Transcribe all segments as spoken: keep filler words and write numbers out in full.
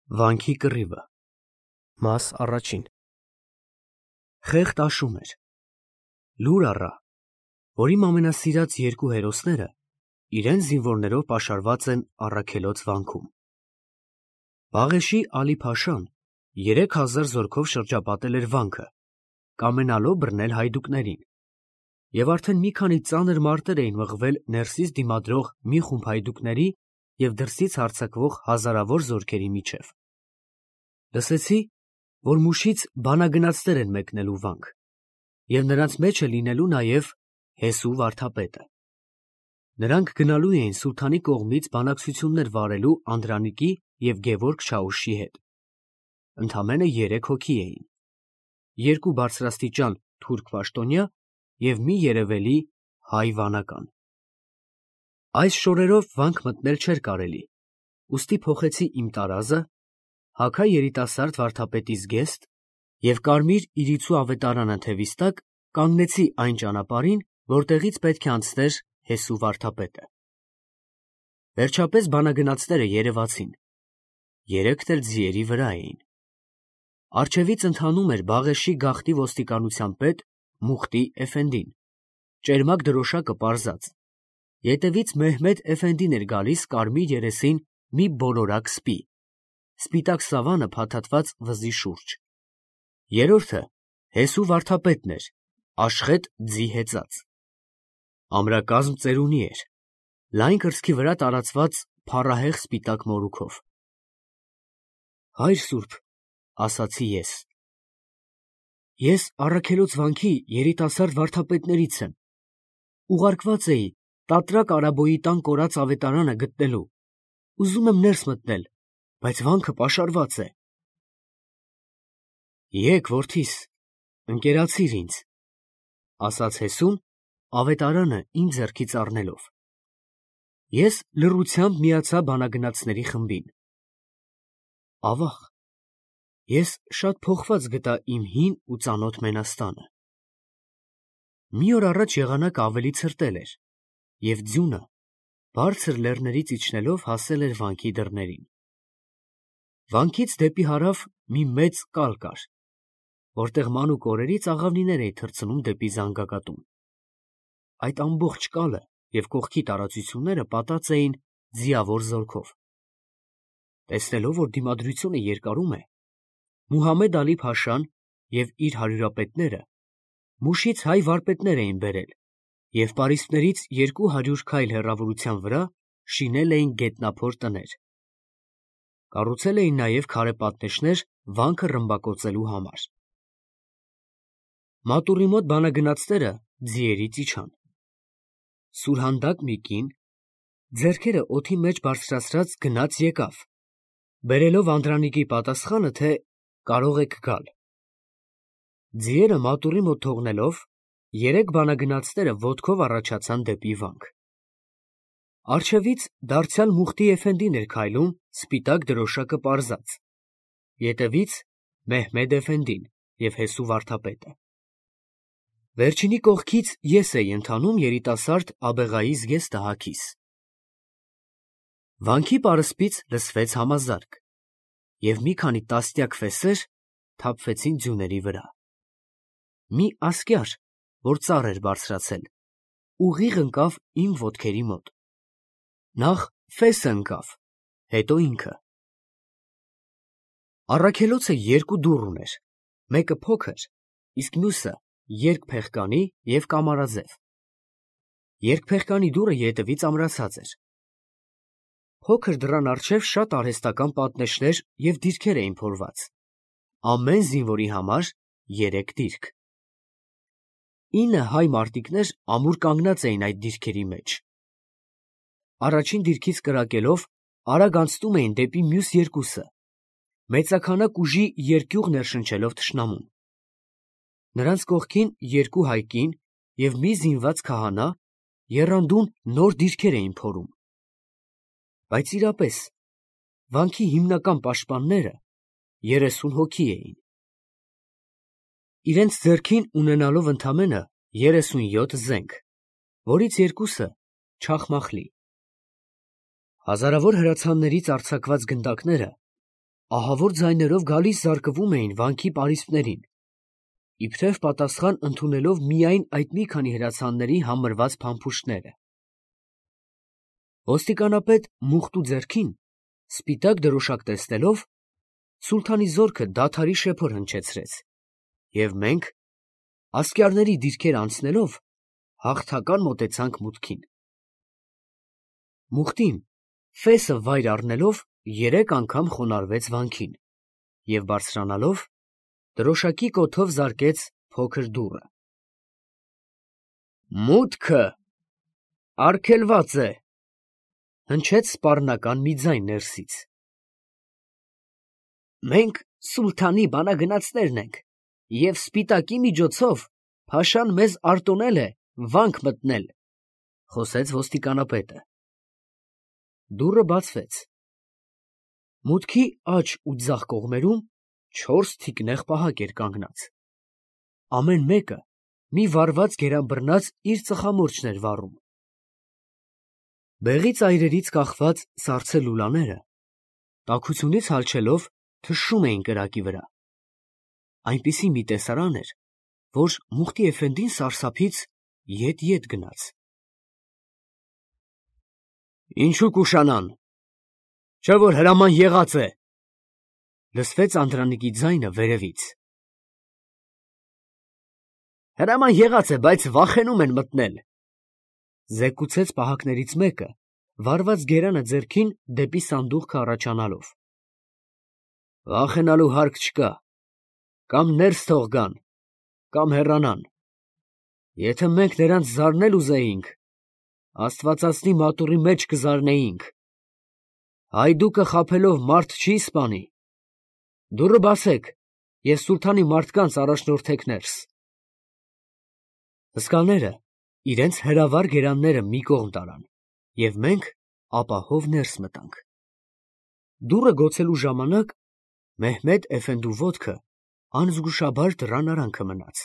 Վանքի կռիվը։ Մաս առաջին։ Խեղճ աշուն էր։ Լուր առա, որ իմ ամենասիրած երկու հերոսները իրենց զինվորներով պաշարված են Առաքելոց վանքում։ Բաղեշի Ալի֊Փաշան երեք հազար զորքով շրջապատել էր վանքը, կամենալով բռնել հայդուկներին, և արդեն մի քանի ծանր մարտեր էին մղվել ներսից դիմադրող մի խումբ հայդուկների և դրսից հարձակվող հազարավոր զորքերի միջև։ Լսեցի, որ Մուշից բանագնացներ են մեկնելու վանք, և նրանց մեջ է լինելու նաև Հեսու վարդապետը։ Նրանք գնալու էին սուլթանի կողմից բանակցություններ վարելու Անդրանիկի և Գևորգ Չաուշի հետ։ Ընդամենը երեք հոգի էին. երկու բարձրաստիճան թուրք պաշտոնյա և մի երևելի հայ վանական։ Այս շորերով վանք մտնել չէր կարելի, ուստի փոխեցի իմ տարազը, հագա երիտասարդ վարդապետի զգեստ և կարմիր իրիցու ավետարանը թևիս տակ կանգնեցի այն ճանապարհին, որտեղից պետք է անցներ Հեսու վարդապետը։ Վերջապես բանագնացները երևացին, երեքն էլ ձիերի վրա էին։ Առջևից ընթանում էր Բաղեշի գաղթի ոստիկանության պետ Մուխտի Էֆենդին, ճերմակ դրոշակը պարզած, ետևից Մեհմեդ Էֆենդին էր գալիս կարմիր երեսին մի բոլորակ սպի, սպիտակ սավանը փաթաթված վզի շուրջ, երրորդը Հեսու վարդապետն էր, աշխետ ձի հեծած։ Ամրակազմ ծերունի էր, լայն կրծքի վրա տարածված փառահեղ սպիտակ մորուքով։ Հայր սուրբ, ասացի ես, ես Առաքելոց վանքի երիտասարդ վարդապետներից եմ, ուղարկված էի Տատրակ Արաբոյի տան կորած ավետարանը գտնելու, ուզում եմ ներս մտնել, բայց վանքը պաշարված է։ Եկ, որդիս, ընկերացիր ինձ, ասաց Հեսուն, ավետարանը իմ ձեռքից առնելով։ Ես լռությամբ միացա բանագնացների խմբին։ Ավաղ, ես շատ փոխված գտա իմ հին ու ծանոթ Մենաստանը։ Մի օր առաջ եղանակը ավելի ցրտել էր, և ձյունը բարձր լեռներից իջնելով հասել էր վանքի դռներին։ Վանքից դեպի հարավ մի մեծ կալ կար, որտեղ մանուկ օրերից աղավնիներ էին թռցնում դեպի զանգակատուն։ Այդ ամբողջ կալը և կողքի տարածությունները պատած էին ձիավոր զորքով։ Տեսնելով, որ դիմադրությունը երկարում է, Մուհամեդ Ալի-Փաշան և իր հարյուրապետները Մուշից հայ վարպետներ էին բերել և պարիսպներից երկու հարյուր քայլ հեռավորության վրա շինել էին գետնափոր տներ։ Կառուցել էին նաև քարե պատնեշներ վանքը ռմբակոծելու համար։ Մատուռի մոտ բանագնացները ձիերից իջան։ Սուրհանդակ մի կին, ձեռքերը օդի մեջ բարձրացրած գնաց եկավ, բերելով Անդրանիկի պատասխանը, թե կարող եք գալ։ Ձիերը մատուռի մոտ թողնելով, երեք բանագնացները ոտքով առաջացան դեպի վանք։ Առջևից դարձյալ Մուխտի Էֆենդին էր քայլում սպիտակ դրոշակը պարզած, ետևից Մեհմեդ Էֆենդին և Հեսու վարդապետը։ Վերջինի կողքից ես էի ընթանում երիտասարդ Աբեղայի զգեստը հագիս։ Վանքի պարսպից լսվեց համազարկ, և մի քանի տասնյակ ֆեսեր թափվեցին ձյուների վրա։ Մի ասկյար, որ ծառ էր բարձրացել, ուղիղ ընկավ իմ ոտքերի մոտ։ Նախ ֆեսը ընկավ, հետո ինքը։ Առաքելոցը երկու դուռ ուներ, մեկը փոքր, իսկ մյուսը երկփեղկանի և կամարաձև։ Երկփեղկանի դուռը ետևից ամրացած էր։ Փոքր դռան առջև շատ արհեստական պատնեշներ և դիրքեր էին փորված, ամեն զինվորի համար երեք դիրք։ Ինը հայ մարտիկներ ամուր կանգնած էին այդ դիրքերի մեջ։ Առաջին դիրքից կրակելով արագ անցնում էին դեպի մյուս երկուսը, մեծաքանակ ուժի երկյուղ ներշնչելով թշնամուն։ Նրանց կողքին երկու հայ կին և մի զինված քահանա եռանդուն նոր դիրքեր էին փորում։ Բայց իրապես վանքի հիմնական պաշտպանները երեսուն հոգի էին, իրենց ձեռքին ունենալով ընդամենը երեսունյոթ զենք, որից երկուսը չախմախլի։ Հազարավոր հրացաններից արձակված գնդակները ահավոր ձայներով գալիս զարկվում էին վանքի պարիսպներին, իբրև պատասխան ընդունելով միայն այդ մի քանի հրացանների համրված փամփուշտները։ Ոստիկանապետ Մուխտու ձեռքին սպիտակ դրոշակ տեսնելով, սուլթանի զորքը դադարի շեփոր հնչեցրեց, և մենք, ասկյարների դիրքեր անցնելով, հաղթական մոտեցանք մուտքին։ Մուխտին, ֆեսը վայր առնելով, երեք անգամ խոնարհվեց վանքին և բարձրանալով, դրոշակի կոթով զարկեց փոքր դուռը։ «Մուտքը արգելված է», հնչեց սպառնական մի ձայն ներսից։ «Մենք սուլթանի բանագնացներն ենք, և սպիտակի միջոցով փաշան մեզ արտոնել է վանք մտնել», խոսեց ոստիկանապետը։ Դուռը բացվեց։ Մուտքի աջ ու ձախ կողմերում չորս թիկնեղ պահակ էր կանգնած։ Ամեն մեկը մի վառված գերանբռնած իր ծխամորճն էր վառում։ Բեղի ծայրերից կախված սառցե լուլաները, տաքությունից հալչելով, թշում էին կրակի վրա։ Այնպիսի մի տեսարան էր, որ Մուխտի էֆենդին սարսափից ետ֊ետ գնաց։ «Ինչու կուշանան, չէ՞ որ հրաման եղած է», լսվեց Անդրանիկի ձայնը վերևից։ «Հրաման եղած է, բայց վախենում են մտնել», զեկուցեց պահակներից մեկը, վառված գերանը ձեռքին դեպի սանդուղքը առաջանալով։ «Վախենալու հարկ չկա, կամ ներս թող գան, կամ հեռանան։ Եթե մենք նրանց զարնել ուզեինք, աստվածածնի մատուռի մեջ կզարնեինք։ Հայդուկը խաբելով մարդ չի սպանի։ Դուռը բացեք և սուլթանի մարդկանց առաջնորդեք ներս»։ Հսկաները իրենց հրավառ գերանները մի կողմ տարան, և մենք ապահով ներս մտանք։ Դուռը գոցելու ժամանակ Մեհմեդ էֆենդու ոտքը անզգուշաբար դռան արանքը մնաց։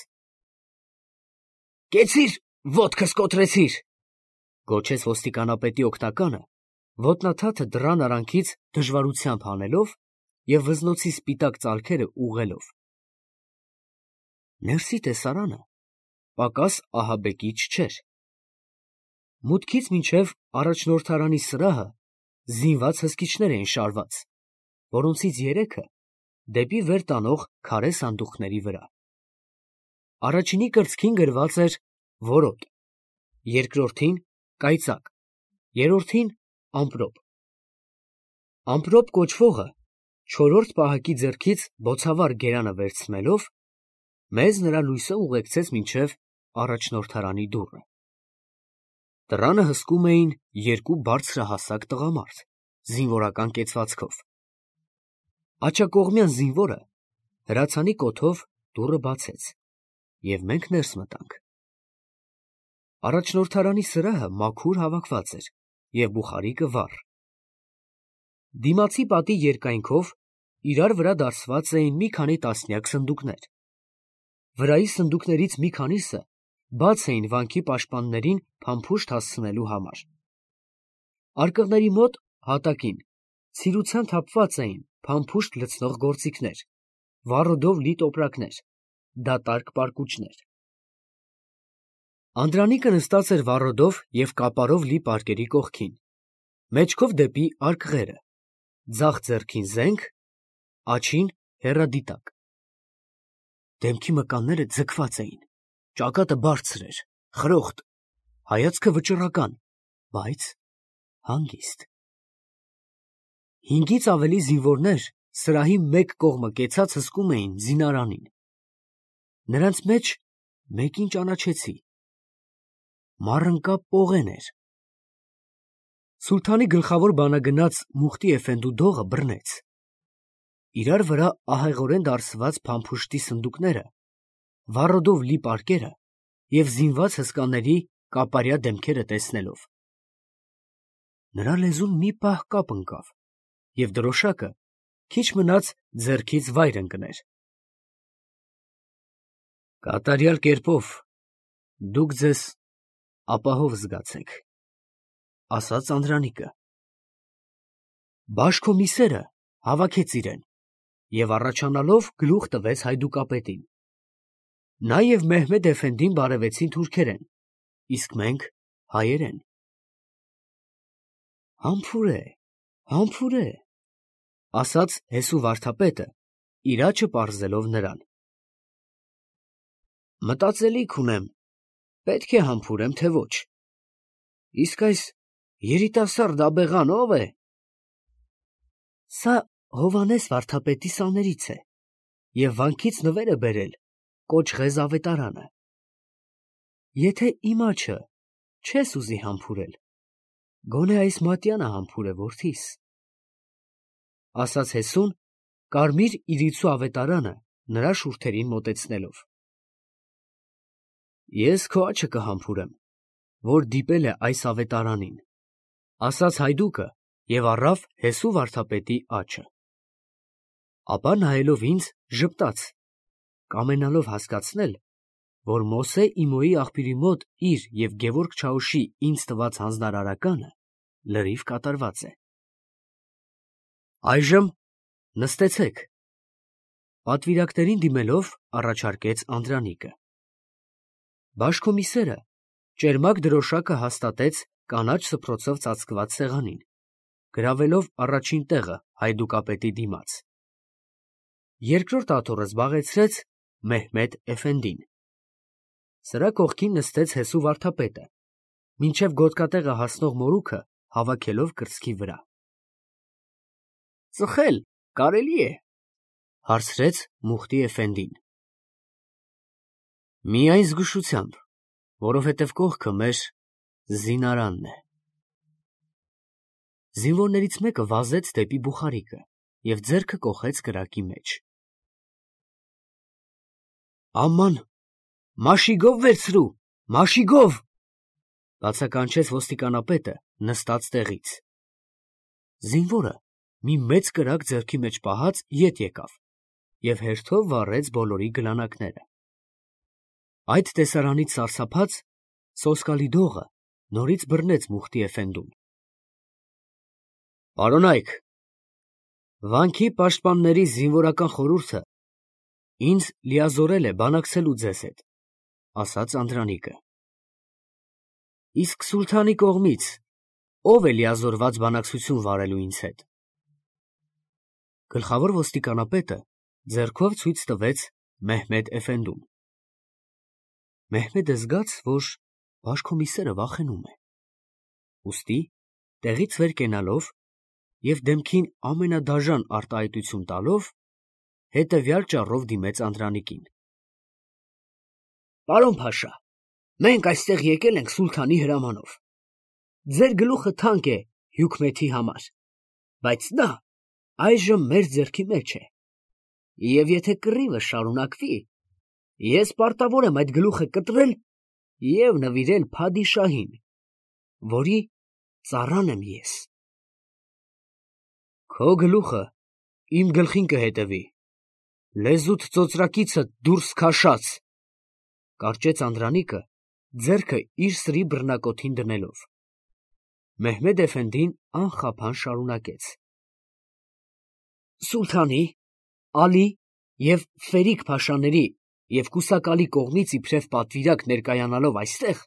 «Կեցի՛ր, ոտքս կոտրեցիր», գոչեց ոստիկանապետի օգնականը, ոտնաթաթը դռան արանքից դժվարությամբ հանելով և վզնոցի սպիտակ ծալքերը ուղղելով։ Ներսի տեսարանը պակաս ահաբեկիչ չէր։ Մուտքից մինչև առաջնորդարանի սրահը զինված հսկիչներ էին շարված, որոնցից երեքը դեպի վեր տանող քարե սանդուղքների վրա։ Առաջինի կրծքին գրված էր որոտ, երկրորդին կայծակ, երրորդին ամպրոպ։ Ամպրոպ կոչվողը չորրորդ պահակի ձեռքից բոցավառ գերանը վերցնելով, մեզ նրա լույսը ուղեկցեց մինչև առաջնորդարանի դուռը։ Դռանը հսկում էին երկու բարձրահասակ տղամարդ, զինվորական կեցվածքով։ Աջակողմյան զինվորը հրացանի կոթով դուռը բացեց, և մենք ներս մտանք։ Առաջնորդարանի սրահը մաքուր հավաքված էր և բուխարիկը վառ։ Դիմացի պատի երկայնքով իրար վրա դարսված էին մի քանի տասնյակ սնդուկներ։ Վրայի սնդուկներից մի քանիսը բաց էին վանքի պաշտպաններին փամփուշտ հասցնելու համար։ Արկղների մոտ հատակին ցիրուցան թափված էին փամփուշտ լցնող գործիքներ, վառոդով լի տոպրակներ, դատարկ պարկուճներ։ Անդրանիկը նստած էր վառոդով և կապարով լի պարկերի կողքին, մեջքով դեպի արկղերը, ձախ ձեռքին զենք, աջին հեռադիտակ։ Դեմքի մկանները ձգված էին, ճակատը բարձր էր, խրոխտ, հայացքը վճռական, բայց հանգիստ։ Հինգից ավելի զինվորներ սրահի մեկ կողմը կեցած հսկում էին զինարանին։ Նրանց մեջ մեկին ճանաչեցի։ Մառընկա Պողեն էր։ Սուլթանի գլխավոր բանագնաց Մուխտի էֆենդու դողը բռնեց։ Իրար վրա ահեղորեն դարսված փամփուշտի սնդուկները, վառոդով լի պարկերը և զինված հսկաների կապարյա դեմքերը տեսնելով։ Նրա լեզուն մի պահ կապ ընկավ, և դրոշակը քիչ մնաց ձեռքից վայր ընկներ։ Կատարյալ կերպով դուք ձեզ ապահով զգացեք, ասաց Անդրանիկը։ Բաշկոմիսերը հավաքեց իրեն, և առաջանալով գլուխ տվեց հայդուկապետին։ Նա և Մեհմեդ էֆենդին բարևեցին թուրքերեն, իսկ մենք հայերեն։ Համբուրե, համբուրե, ասաց Հեսու վարդապետը, իր աչը պարզելով նրան։ Մտածելիք ունեմ, պետք է համբուրեմ, թե ոչ։ Իսկ այս երիտասարդ աբեղան ո՞վ է։ Սա Հովհաննես վարդապետի սաներից է, և վանքից նվեր է բերել Կոճղեզ ավետարանը։ Եթե իմ աչը չես ուզի համբուրել, գոնե այս մատյանը համբուրե, որդիս, ասաց Հեսուն, կարմիր իրիցու ավետարանը նրա շուրթերին մոտեցնելով։ Ես քո աչը կհամբուրեմ, որ դիպել է այս ավետարանին, ասաց հայդուկը և առավ Հեսու վարդապետի աչը։ Ապա նայելով ինձ ժպտաց, կամենալով հասկացնել, որ Մոսե Իմոյի աղբյուրի մոտ իր և Գևորգ Չաուշի ինձ տված հանձնարարականը լրիվ կատարված է։ Այժմ նստեցեք, պատվիրակներին դիմելով առաջարկեց Անդրանիկը։ Բաշկոմիսերը ճերմակ դրոշակը հաստատեց կանաչ սփռոցով ծածկված սեղանին, գրավելով առաջին տեղը հայդուկապետի դիմաց։ Երկրորդ աթոռը զբաղեցրեց Մեհմեդ էֆենդին։ Սրա կողքին նստեց Հեսու վարդապետը, մինչև գոտկատեղը հասնող մորուքը հավաքելով կրծքի վրա։ Ծխել կարելի է, հարցրեց Մուխտի էֆենդին։ Միայն զգուշությամբ, որովհետև կողքը մեր զինարանն է։ Զինվորներից մեկը վազեց դեպի բուխարիկը և ձեռքը կոխեց կրակի մեջ։ Աման, մաշիգով վերցրու, մաշիգով, բացականչեց ոստիկանապետը նստած տեղից։ Զինվորը մի մեծ կրակ ձեռքի մեջ պահած ետ եկավ և հերթով վառեց բոլորի գլանակները։ Այդ տեսարանից սարսափած սոսկալի դողը նորից բռնեց Մուխտի էֆենդուն։ Պարոնայք, վանքի պաշտպանների զինվորական խորհուրդը ինձ լիազորել է բանակցելու ձեզ հետ, ասաց Անդրանիկը։ Իսկ սուլթանի կողմից ո՞վ է լիազորված բանակցություն վարելու ինձ հետ։ Գլխավոր ոստիկանապետը ձեռքով ցույց տվեց Մեհմեդ էֆենդուն։ Մեհմեդը զգաց, որ բաշկոմիսերը վախենում է։ Ուստի տեղից վեր կենալով և դեմքին ամենադաժան արտահայտություն տալով, հետևյալ ճառով դիմեց Անդրանիկին։ Պարոն փաշա, մենք այստեղ եկել ենք սուլթանի հրամանով։ Ձեր գլուխը թանկ է Հյուքմեթի համար, բայց նա այժմ մեր ձեռքի մեջ է, և եթե կռիվը շարունակվի, ես պարտավոր եմ այդ գլուխը կտրել և նվիրել փադիշահին, որի ծառան եմ ես։ Քո գլուխը իմ գլխին կհետևի, լեզուդ ծոծրակիցդ դուրս քաշած, կարճեց Անդրանիկը, ձեռքը իր սրի բռնակոթին դնելով։ Մեհմեդ էֆենդին անխափան շարունակեց. Սուլթանի, Ալի և Ֆերիկ փաշաների և Կուսակալի կողմից իբրև պատվիրակ ներկայանալով այստեղ,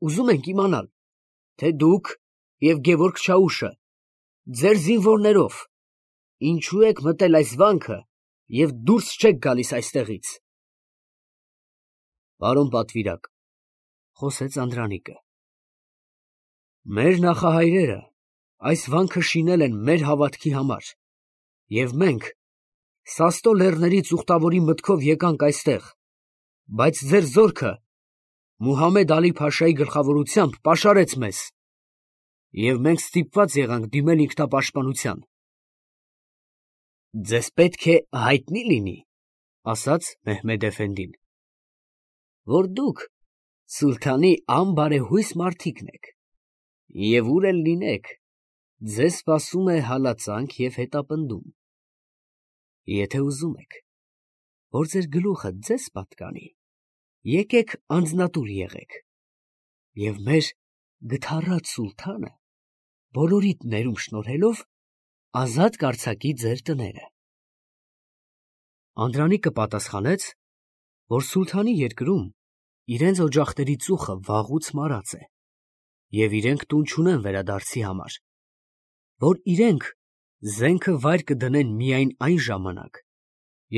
ուզում ենք իմանալ, թե դուք և Գևորգ Չաուշը ձեր զինվորներով ինչու եք մտել այս վանքը և դուրս չեք գալիս այստեղից։ Պարոն պատվիրակ, խոսեց Անդրանիկը, մեր նախահայրերը այս վանքը շինել են մեր հավատքի համար, և մենք Սաստո լեռներից ուխտավորի մտքով եկանք այստեղ, բայց ձեր զորքը Մուհամեդ Ալի Փաշայի գլխավորությամբ պաշարեց մեզ, և մենք ստիպված եղանք դիմել ինքնապաշտպանության։ Ձեզ պետք է հայտնի լինի, ասաց Մեհմեդ էֆենդին, որ դուք սուլթանի անբարեհույս մարդիկն եք, և ուր էլ լինեք, ձեզ սպասում է հալածանք և հետապնդում։ Եթե ուզում եք, որ ձեր գլուխը ձեզ պատկանի, եկեք անձնատուր եղեք, և մեր գթառատ սուլթանը բոլորիդ ներում շնորհելով ազատ կարձակի ձեր տները։ Անդրանիկը պատասխանեց, որ սուլթանի երկրում իրենց օջախների ծուխը վաղուց մարած է, և իրենք տուն չունեն վերադարձի համար, որ իրենք զենքը վայր կդնեն միայն այն ժամանակ,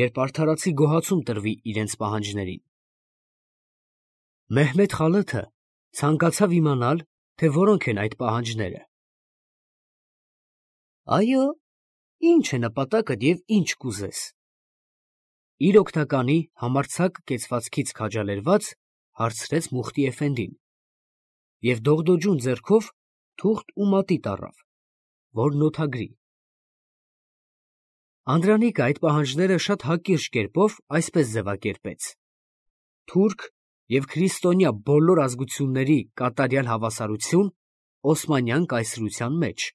երբ արդարացի գոհացում տրվի իրենց պահանջներին։ Մեհմեդ Խալաթը ցանկացավ իմանալ, թե որոնք են այդ պահանջները։ Այո, ինչ է նպատակդ և ինչ կուզես։ Իր օգնականի համարձակ կեցվածքից քաջալերված հարցրեց Մուխտի էֆենդին և դողդոջուն ձեռքով թուղթ ու մատիտ առավ, որ նոթագրի։ Անդրանիկը այդ պահանջները շատ հակիրճ կերպով այսպես ձևակերպեց. թուրք և քրիստոնյա բոլոր ազգությունների կատարյալ հավասարություն Օսմանյան կայսրության մեջ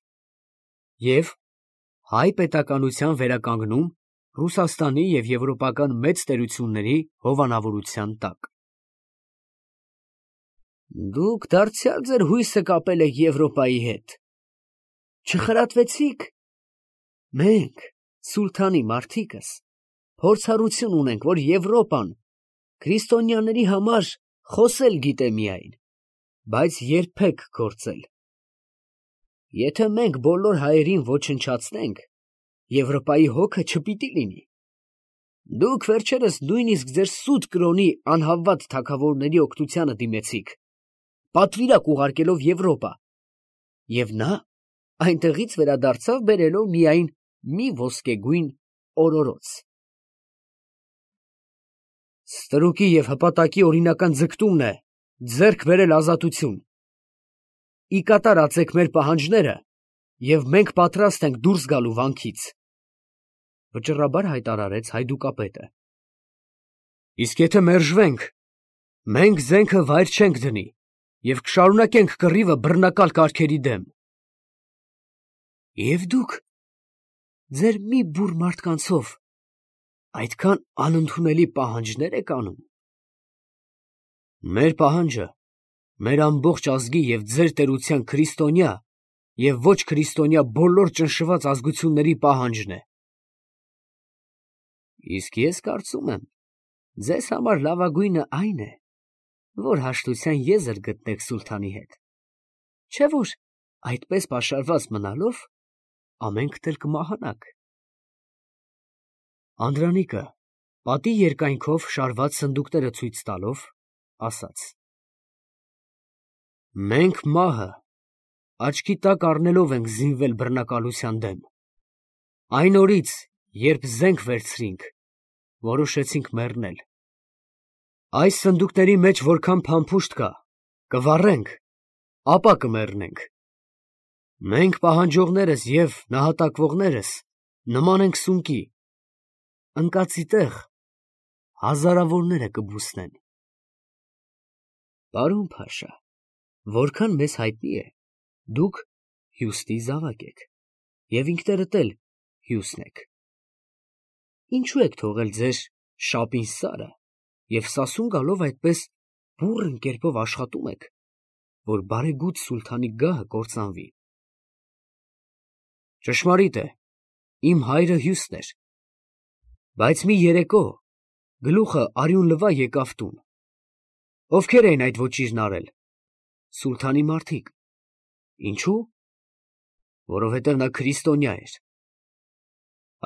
և հայ պետականության վերականգնում Ռուսաստանի և եվրոպական մեծ տերությունների հովանավորության տակ։ Դուք դարձյալ ձեր հույսը կապել եք Եվրոպայի հետ, չխրատվեցի՞ք։ Մենք, սուլթանի մարդիկս, փորձառություն ունենք, որ Եվրոպան քրիստոնյաների համար խոսել գիտե միայն, բայց երբեք գործել։ Եթե մենք բոլոր հայերին ոչնչացնենք, Եվրոպայի հոգը չպիտի լինի։ Դուք վերջերս նույնիսկ ձեր սուտ կրոնի անհավատ թագավորների օգնությանը դիմեցիք, պատվիրակ ուղարկելով Եվրոպա, և նա այնտեղից վերադարձավ բերելով միայն մի ոսկեգույն օրորոց։ Ստրուկի և հպատակի օրինական ձգտումն է ձեռք բերել ազատություն։ Ի կատար ածեք մեր պահանջները, և մենք պատրաստ ենք դուրս գալու վանքից, ֊ վճռաբար հայտարարեց հայդուկապետը։ Իսկ եթե մերժվենք, մենք զենքը վայր չենք դնի և կշարունակենք կռիվը բռնակալ կարգերի դեմ։ Եվ դուք ձեր մի բուռ մարդկանցով այդքան անընդունելի պահանջներ եք անում։ Մեր պահանջը մեր ամբողջ ազգի և ձեր տերության քրիստոնյա և ոչ քրիստոնյա բոլոր ճնշված ազգությունների պահանջն է։ Իսկ ես կարծում եմ, ձեզ համար լավագույնը այն է, որ հաշտության եզր գտնեք սուլթանի հետ, չէ՞ որ այդպես պաշարված մնալով ամենքդ էլ կմահանաք։ Անդրանիկը պատի երկայնքով շարված սնդուկները ցույց տալով ասաց. Մենք մահը աչքի տակ առնելով ենք զինվել բռնակալության դեմ։ Այն օրից, երբ զենք վերցրինք, որոշեցինք մեռնել։ Այս սնդուկների մեջ որքան փամփուշտ կա, կվառենք, ապա կմեռնենք։ Մենք պահանջողներս և նահատակվողներս նման ենք սունկի, ընկածի տեղ հազարավորները կբուսնեն։ Պարոն փաշա, որքան մեզ հայտնի է, դուք հյուստի զավակ եք և ինքներդ էլ հյուսն եք։ Ինչո՞ւ եք թողել ձեր շապին սարը և սասուն գալով այդպես բուռն կերպով աշխատում եք, որ բարեգութ սուլթանի գահը կործանվի։ Ճշմարիտ է, իմ հայրը հյուսն էր, բայց մի երեկո գլուխը արյուն լվա եկավ տուն։ Ովքեր էին այդ ոճիրն արել։ Սուլթանի մարդիկ։ Ինչո՞ւ։ Որովհետև նա քրիստոնյա էր։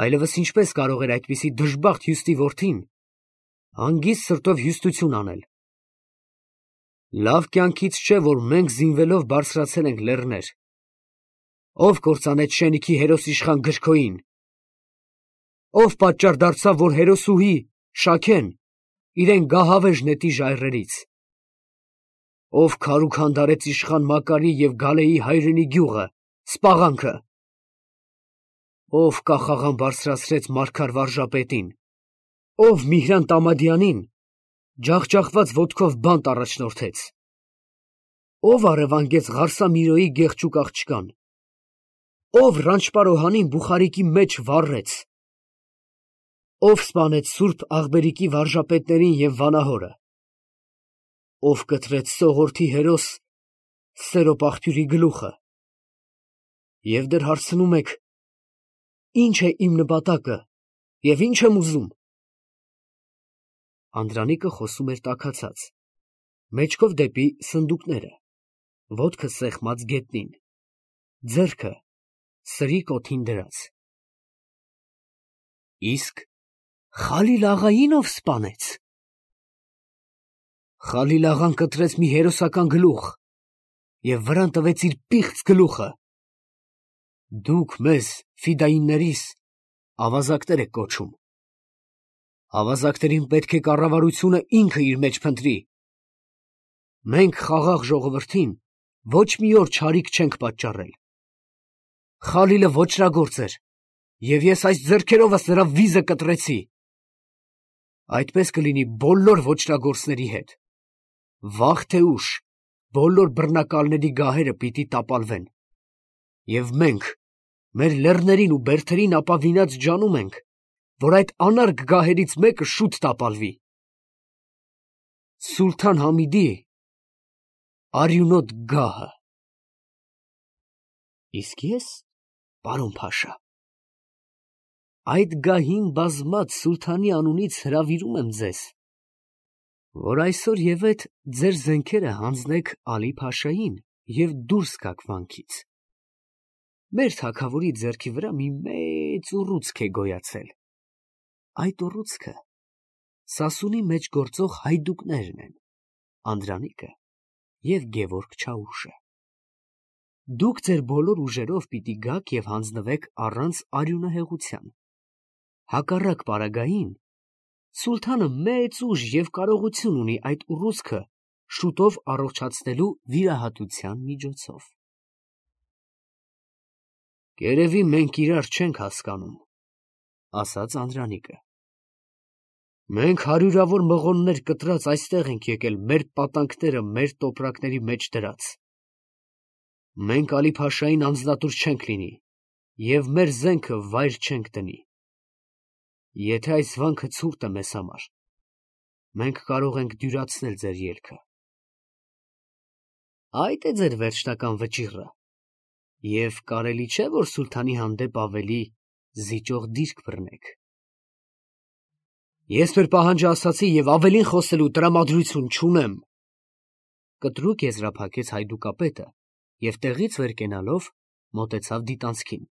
Այլևս ինչպես կարող էր այդպիսի դժբախտ հյուստի որդին հանգիստ սրտով հյուստություն անել։ Լավ կյանքից չէ, որ մենք զինվելով բարձրացել ենք լեռներ։ Ով կործանեց շենիքի հերոս իշխան գրքոյին։ Ով պատճառ դարձավ, որ հերոսուհի Շաքեն իրեն գահավեժ նետի ժայռերից։ Ով քար ու քանդարեց իշխան Մակարի և Գալեի հայրենի գյուղը, Սպաղանքը։ Ով կախաղան բարձրացրեց Մարգար վարժապետին, ով Միհրան Տամադյանին ջախջախված ոտքով բանտ առաջնորդեց, ով առևանգեց Ղարսամիրոյի գեղեցիկ աղջկան, ով Ռանչպարոհանին Բուխարիկի մեջ վառեց, ով սպանեց Սուրբ Աղբերիկի վարժապետներին և վանահորը, ով կտրեց Սողորթի հերոս Սերոպաղթյուրի գլուխը, և դեռ հարցնում եք. ինչ է իմ նպատակը և ինչ եմ ուզում։ Անդրանիկը խոսում էր տաքացած, մեջքով դեպի սնդուկները, ոտքը սեղմած գետնին, ձեռքը սրի կոթին դրած։ Իսկ Խալիլ֊աղային ով սպանեց։ Խալիլ֊աղան կտրեց մի հերոսական գլուխ և վրան տվեց իր պիղծ գլուխը։ Դուք մեզ, ֆիդայիններիս, ավազակներ եք կոչում։ Ավազակներին պետք է կառավարությունը ինքը իր մեջ փնտրի։ Մենք խաղաղ ժողովրդին ոչ մի օր չարիք չենք պատճառել։ Խալիլը ոճրագործ էր, և ես այս ձեռքերովս նրա վիզը կտրեցի։ Այդպես կլինի բոլոր ոճրագործների հետ։ Վաղ թե ուշ բոլոր բռնակալների գահերը պիտի տապալվեն, և մենք մեր լեռներին ու բերդերին ապավինած ջանում ենք, որ այդ անարգ գահերից մեկը շուտ տապալվի։ Սուլթան Համիդի արյունոտ գահը։ Իսկ ես, պարոն փաշա, այդ գահին բազմած սուլթանի անունից հրավիրում եմ ձեզ, որ այսօր ևեթ ձեր զենքերը հանձնեք Ալի֊Փաշային և դուրս գաք վանքից։ Մեր թագավորի ձեռքի վրա մի մեծ ուռուցք է գոյացել։ Այդ ուռուցքը Սասունի մեջ գործող հայդուկներն են, Անդրանիկը և Գևորգ Չաուշը։ Դուք ձեր բոլոր ուժերով պիտի գաք և հանձնվեք առանց արյունահեղության։ Հակառակ պարագային սուլթանը մեծ ուժ և կարողություն ունի այդ ուռուցքը շուտով առողջացնելու վիրահատության միջոցով։ Երևի մենք իրար չենք հասկանում, ասաց Անդրանիկը։ Մենք հարյուրավոր մղոններ կտրած այստեղ ենք եկել մեր պատանքները մեր տոպրակների մեջ դրած։ Մենք Ալի-Փաշային անձնատուր չենք լինի և մեր զենքը վայր չենք դնի։ Եթե այս վանքը ցուրտ է մեզ համար, մենք կարող ենք դյուրացնել ձեր ելքը։ Այդ է ձեր վերջնական վճիռը, և կարելի չէ, որ սուլթանի հանդեպ ավելի զիջող դիրք բռնեք։ Ես մեր պահանջը ասացի և ավելին խոսելու տրամադրություն չունեմ, կտրուկ եզրափակեց հայդուկապետը և տեղից վեր կենալով մոտեցավ դիտանցքին։